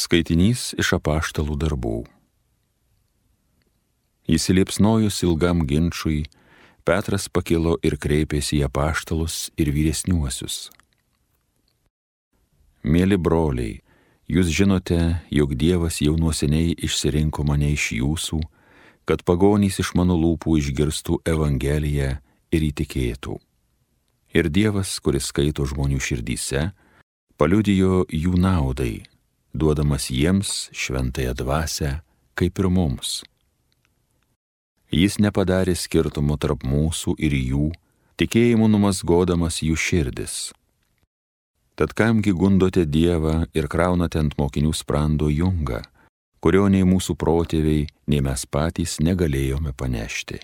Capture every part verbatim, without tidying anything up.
Skaitinys iš apaštalų darbų. Įsiliepsnojus ilgam ginčui, Petras pakilo ir kreipėsi į apaštalus ir vyresniuosius. Mėly broliai, jūs žinote, jog Dievas jau nuo seniai išsirinko mane iš jūsų, kad pagonys iš mano lūpų išgirstų Evangeliją ir įtikėtų. Ir Dievas, kuris skaito žmonių širdyse, paliudijo jų naudai, duodamas jiems šventąją dvasią, kaip ir mums. Jis nepadarė skirtumo tarp mūsų ir jų, tikėjimu numazgodamas jų širdis. Tad kamgi gundote Dievą ir kraunate ant mokinių sprando jungą, kurio nei mūsų protėviai, nei mes patys negalėjome panešti.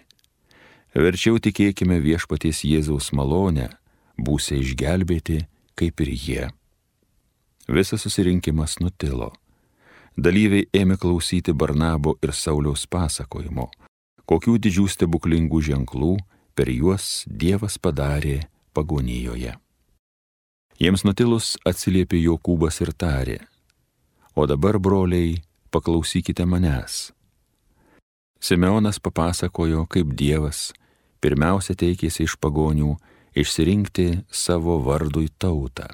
Verčiau tikėkime viešpaties Jėzaus malonę, būsite išgelbėti, kaip ir jie. Visas susirinkimas nutilo. Dalyviai ėmė klausyti Barnabo ir Sauliaus pasakojimo, kokių didžių stebuklingų ženklų per juos Dievas padarė pagonijoje. Jiems nutilus atsiliepė Jokūbas ir tarė: O dabar, broliai, paklausykite manęs. Simeonas papasakojo, kaip Dievas pirmiausia teikėsi iš pagonių išsirinkti savo vardui tautą.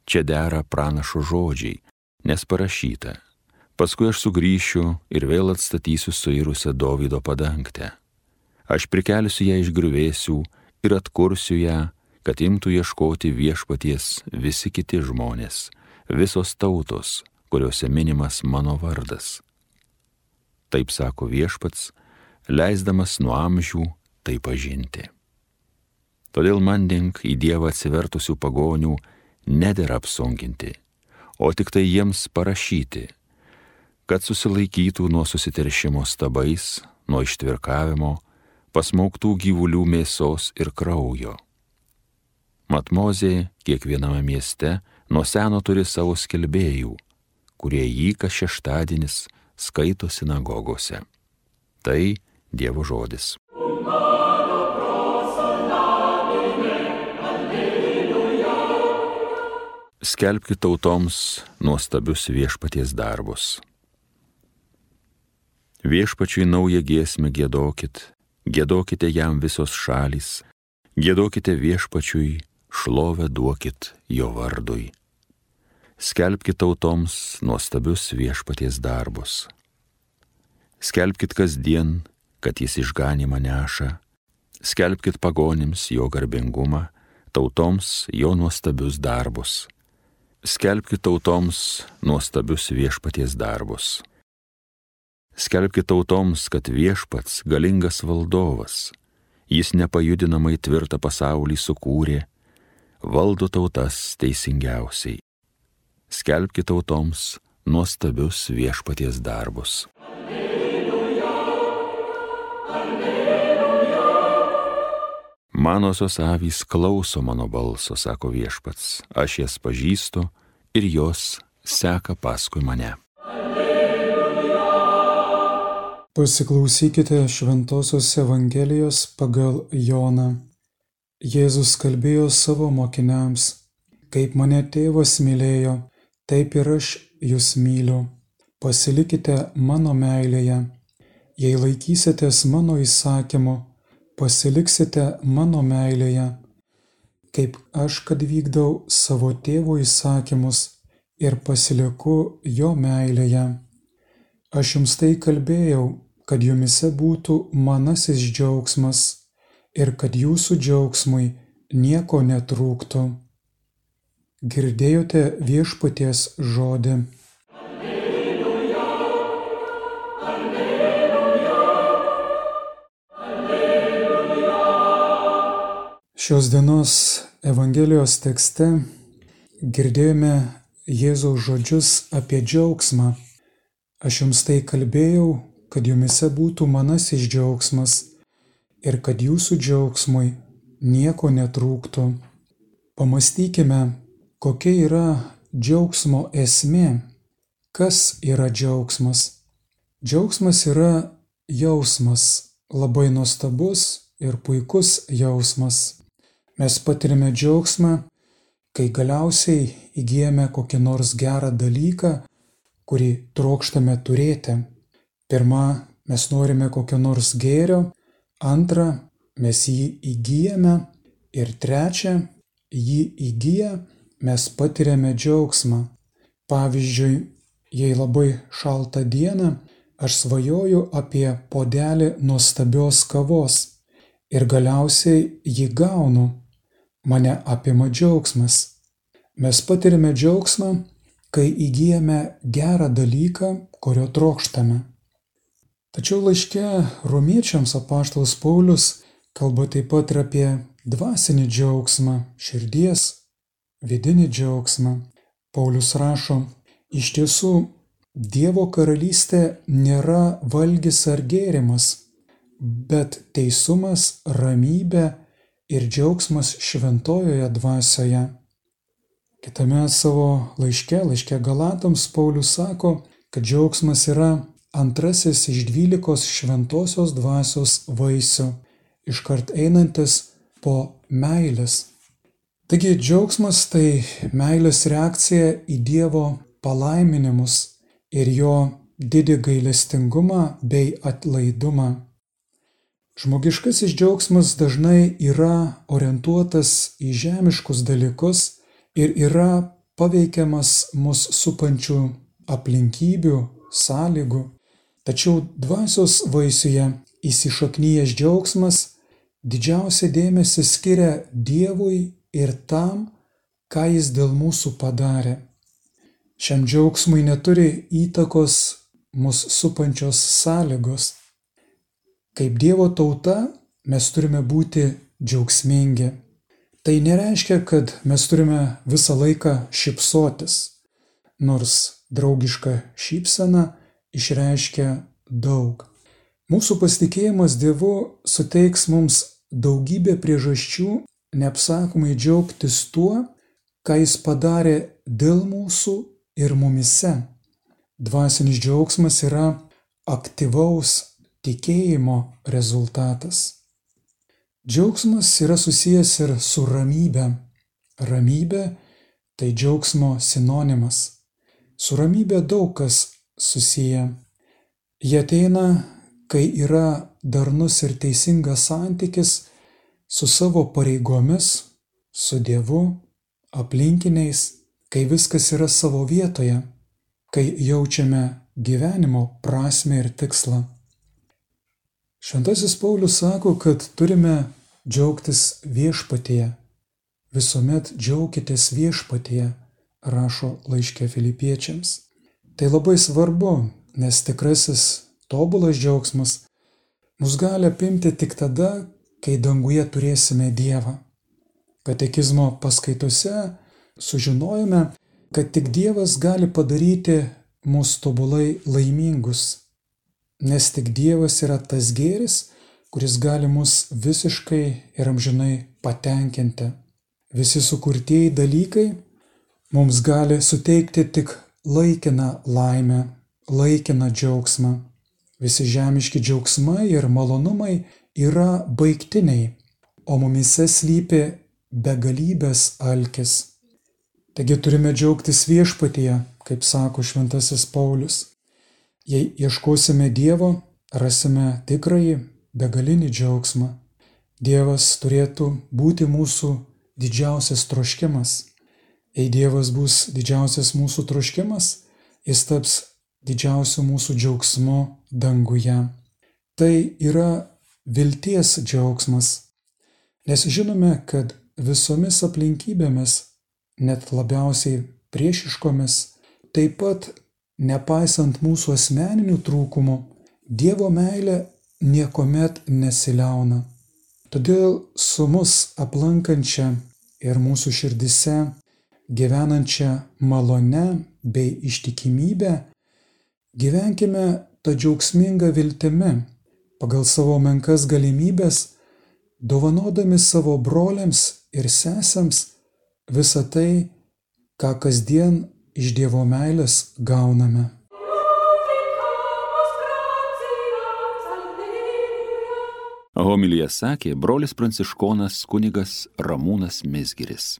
Čia dera pranašo žodžiai, nes parašyta: Paskui aš sugrįšiu ir vėl atstatysiu suirusią Dovydo padangtę. Aš prikelsiu ją iš griuvėsių ir atkursiu ją, kad imtų ieškoti viešpaties visi kiti žmonės, visos tautos, kuriuose minimas mano vardas. Taip sako viešpats, leisdamas nuo amžių tai pažinti. Todėl mandink į Dievą atsivertusių pagonių nedera apsunkinti, o tik tai jiems parašyti, kad susilaikytų nuo susiteršimo stabais, nuo ištvirkavimo, pasmauktų gyvulių mėsos ir kraujo. Mat Mozė kiekviename mieste nuo seno turi savo skelbėjų, kurie jį kas šeštadienis skaito sinagogose. Tai Dievo žodis. Skelbkit tautoms nuostabius viešpaties darbus. Viešpačiui naują giesmę giedokit, giedokite jam visos šalys, giedokite viešpačiui, šlovę duokit jo vardui. Skelbkit tautoms nuostabius viešpaties darbus. Skelbkit kasdien, kad jis išganymą neša, skelbkit pagonims jo garbingumą, tautoms jo nuostabius darbus. Skelbkit tautoms nuostabius viešpaties darbus. Skelbkit tautoms, kad viešpats galingas valdovas, jis nepajudinamai tvirtą pasaulį sukūrė, valdo tautas teisingiausiai. Skelbkit tautoms nuostabius viešpaties darbus. Alleluja, alleluja. Manosios avys klauso mano balso, sako viešpats, aš jas pažįstu ir jos seka paskui mane. Alleluja. Pasiklausykite Šventosios Evangelijos pagal Joną. Jėzus kalbėjo savo mokiniams: Kaip mane tėvas mylėjo, taip ir aš jūs myliu. Pasilikite mano meilėje. Jei laikysitės mano įsakymu, pasiliksite mano meilėje, kaip aš, kad vykdau savo tėvo įsakymus ir pasiliku jo meilėje. Aš jums tai kalbėjau, kad jumise būtų manasis džiaugsmas ir kad jūsų džiaugsmui nieko netrūktų. Girdėjote viešpaties žodį. Alleluja, alleluja, alleluja. Šios dienos Evangelijos tekste girdėjome Jėzaus žodžius apie džiaugsmą. Aš jums tai kalbėjau, kad jumise būtų manasis džiaugsmas ir kad jūsų džiaugsmui nieko netrūktų. Pamastykime, kokia yra džiaugsmo esmė? Kas yra džiaugsmas? Džiaugsmas yra jausmas, labai nuostabus ir puikus jausmas. Mes patiriame džiaugsmą, kai galiausiai įgyjame kokį nors gerą dalyką kurį trokštame turėti. Pirma, mes norime kokio nors gėrio, antra, mes jį įgyjame ir trečia, jį įgyję mes patiriame džiaugsmą. Pavyzdžiui, jei labai šaltą dieną, aš svajoju apie puodelį nuostabios kavos ir galiausiai jį gaunu, mane apima džiaugsmas. Mes patiriame džiaugsmą, kai įgyjame gerą dalyką, kurio trokštame. Tačiau laiške romiečiams apaštalas Paulius kalba taip pat ir apie dvasinį džiaugsmą, širdies, vidinį džiaugsmą. Paulius rašo, iš tiesų, Dievo karalystė nėra valgis ar gėrimas, bet teisumas, ramybė ir džiaugsmas šventojoje dvasioje. Kitame savo laiške, laiške Galatams, Paulius sako, kad džiaugsmas yra antrasis iš dvylikos šventosios dvasios vaisių, iškart einantis po meilės. Taigi džiaugsmas tai meilės reakcija į Dievo palaiminimus ir jo didį gailestingumą bei atlaidumą. Žmogiškasis džiaugsmas dažnai yra orientuotas į žemiškus dalykus ir yra paveikiamas mus supančių aplinkybių, sąlygų. Tačiau dvasios vaisiuje įsišaknyjęs džiaugsmas didžiausią dėmesį skiria Dievui ir tam, ką Jis dėl mūsų padarė. Šiam džiaugsmui neturi įtakos mus supančios sąlygos. Kaip Dievo tauta mes turime būti džiaugsmingi. Tai nereiškia, kad mes turime visą laiką šypsotis, nors draugiška šypsena išreiškia daug. Mūsų pasitikėjimas Dievu suteiks mums daugybę priežasčių neapsakomai džiaugtis tuo, ką Jis padarė dėl mūsų ir mumyse. Dvasinis džiaugsmas yra aktyvaus tikėjimo rezultatas. Džiaugsmas yra susijęs ir su ramybe. Ramybė tai džiaugsmo sinonimas. Su ramybė daug kas susiję. Jie ateina, kai yra darnus ir teisingas santykis su savo pareigomis, su Dievu, aplinkiniais, kai viskas yra savo vietoje, kai jaučiame gyvenimo prasmę ir tikslą. Šventasis Paulius sako, kad turime džiaugtis viešpatyje. Visuomet džiaukitės viešpatyje, rašo laiške Filipiečiams. Tai labai svarbu, nes tikrasis tobulas džiaugsmas mus gali apimti tik tada, kai danguje turėsime Dievą. Katekizmo paskaitose sužinojome, kad tik Dievas gali padaryti mus tobulai laimingus, nes tik Dievas yra tas gėris, kuris gali mus visiškai ir amžinai patenkinti. Visi sukurtieji dalykai mums gali suteikti tik laikiną laimę, laikiną džiaugsmą. Visi žemiški džiaugsmai ir malonumai yra baigtiniai, o mumyse slypi begalybės alkis. Taigi turime džiaugtis viešpatyje, kaip sako šventasis Paulius. Jei ieškosime Dievo, rasime tikrąjį begalinį džiaugsmą. Dievas turėtų būti mūsų didžiausias troškimas. Jei Dievas bus didžiausias mūsų troškimas, Jis taps didžiausiu mūsų džiaugsmu danguje. Tai yra vilties džiaugsmas, nes žinome, kad visomis aplinkybėmis, net labiausiai priešiškomis, taip pat nepaisant mūsų asmeninių trūkumų, Dievo meilė niekuomet nesiliauna. Todėl su mus aplankančia ir mūsų širdise gyvenančia malone bei ištikimybė gyvenkime tą džiaugsmingą viltimi, pagal savo menkas galimybės, dovanodami savo broliams ir sesėms visą tai, ką kasdien iš Dievo meilės gauname. Homiliją sakė brolis pranciškonas kunigas Ramūnas Mizgiris.